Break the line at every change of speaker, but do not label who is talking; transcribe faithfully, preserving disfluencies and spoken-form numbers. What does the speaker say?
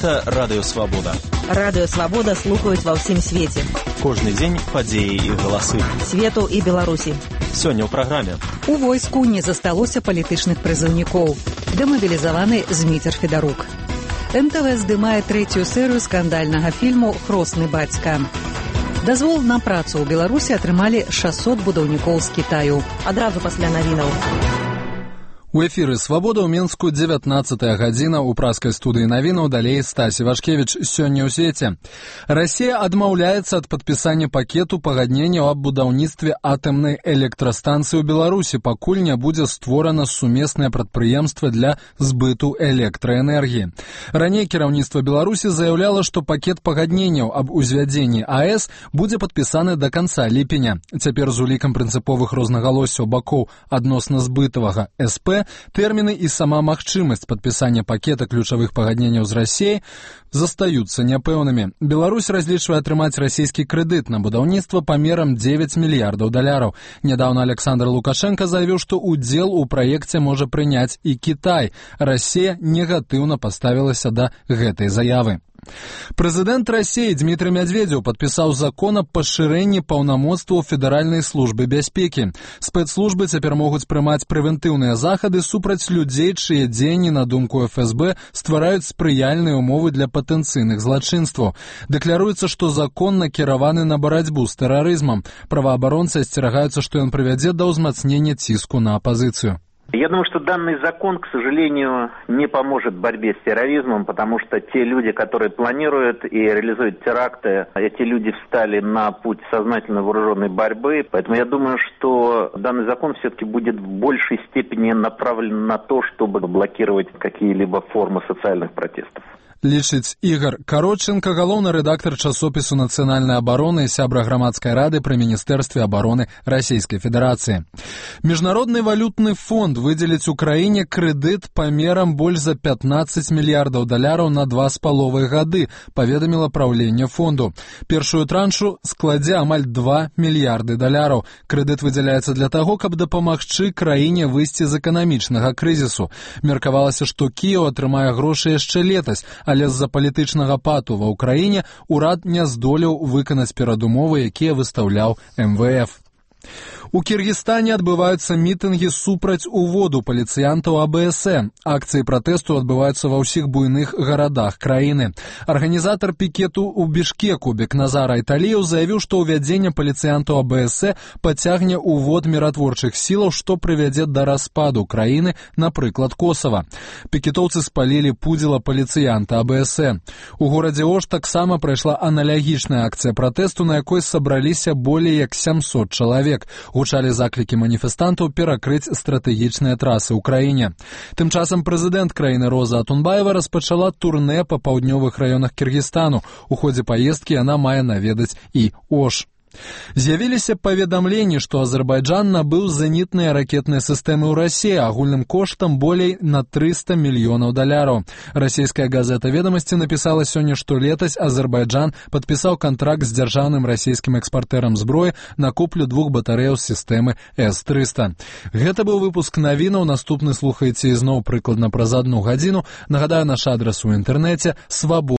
Гэта Радыё Свабода.
Радыё Свабода слухаюць ва ўсім свеце.
Кожны дзень падзеі і галасы.
Свету і Беларусі.
Сёння ў праграме.
У войску не засталося палітычных прызыўнікоў. Дэмабілізаваны Зміцер Федарук. эн тэ вэ здымае трэцюю серыю скандальнага фільму «Хросны бацька». Дазвол на працу ў Беларусі атрымалі шэсцьсот будаўнікоў з Кітаю.
Адразу пасля навінаў.
У эфіры «Свабода» ў Менску дзевятнаццатая гадзіна ў праскай студыі навінаў, далей Стасі Вашкевіч. Сёння ў свеце. Расія адмаўляецца ад падпісання пакету пагадненняў аб будаўніцтве атамнай электрастанцыі ў Беларусі, пакуль не будзе створана сумеснае прадпрыемства для збыту электраэнергіі. Раней кіраўніцтва Беларусі заяўляла, што пакет пагадненняў аб узвядзенні а эс будзе падпісаны да канца ліпеня. Цяпер з улікам прынцыповых рознагалоссяў бакоў адносна збытавага эс пэ тэрміны і сама магчымасць падпісання пакета ключавых пагадненняў з Расіяй застаюцца няпэўнымі. Беларусь разлічвае атрымаць расійскі крэдыт на будаўніцтва памерам дзевяць мільярдаў даляраў. Нядаўна Александр Лукашенко заявіў, што ўдзел у праекце можа прыняць і Кітай. Расія негатыўна паставілася да гэтай заявы. Прэзідэнт Расіі Дмітрый Мядзведзеў падпісаў закон аб пашырэнні паўнамоцтваў Федэральнай службы бяспекі. Спецслужбы цяпер могуць прымаць прэвентыўныя захады супраць людзей, чые дзеянні, на думку эф эс бэ, ствараюць спрыяльныя ўмовы для патэнцыйных злачынстваў. Дэкляруецца, што закон накіраваны на барацьбу з тэрарызмам. Праваабаронцы асцерагаюцца, што ён прывядзе да ўзмацнення ціску на апазіцыю.
Я думаю, что данный закон, к сожалению, не поможет в борьбе с терроризмом, потому что те люди, которые планируют и реализуют теракты, эти люди встали на путь сознательно вооруженной борьбы. Поэтому я думаю, что данный закон все-таки будет в большей степени направлен на то, чтобы блокировать какие-либо формы социальных протестов.
Лічыць Ігор Кароченко, галоўны рэдактар часопісу нацыянальнай абароны і сябра грамадскай рады пры міністэрстве абароны Расійскай Федэрацыі. Міжнародны валютны фонд выдзеліць Украіне крэдыт памерам больш за пятнаццаць мільярдаў даляраў на два з паловай гады, паведаміла праўленне фонду. Першую траншу складзе амаль два мільярды даляраў. Крэдыт выдзяляецца для таго, каб дапамагчы краіне выйсці з эканамічнага крызісу. Меркавалася, што Кіеў атрымае грошы яшчэ летась, але з-за палітычнага пату ва ўкраіне ўрад не здолеў выканаць перадумовы, якія выстаўляў эм вэ эф. У Кіргізстане адбываюцца мітынгі супраць уводу паліцыянтаў а бэ эс э. Акцыі пратэсту адбываюцца ва ўсіх буйных гарадах краіны. Арганізатар пікету ў Бішкеку Бекназар Айталіеў заявіў, што ўвядзенне паліцыянтаў а бэ эс э пацягне ўвод міратворчых сілаў, што прывядзе да распаду краіны, напрыклад, Косава. Пікетоўцы спалілі пудзіла паліцыянта а бэ эс э. У горадзе Ош таксама прайшла аналагічная акцыя пратэсту, на якой сабраліся болей як сямсот чалавек. Гучалі заклікі маніфестантаў перакрыць стратэгічныя трасы ў краіне. Тым часам прэзідэнт краіны Роза Атунбаева распачала турнэ па паўднёвых раёнах Кіргізстану. У ходзе паездкі яна мае наведаць і Ош. З'явіліся паведамленні, што Азербайджан набыў зенітныя ракетныя сістэмы ў Расіі агульным коштам болей на трыста мільёнаў даляраў. Расійская газета «Ведамасці» напісала сёння, што летась Азербайджан падпісаў кантракт з дзяржаўным расійскім экспартэрам зброі на куплю двух батарэяў сістэмы эс трыста. Гэта быў выпуск навінаў. Наступны слухаеце ізноў прыкладна праз адну гадзіну. Нагадаю, наш адрас у інтэрнэце свабода.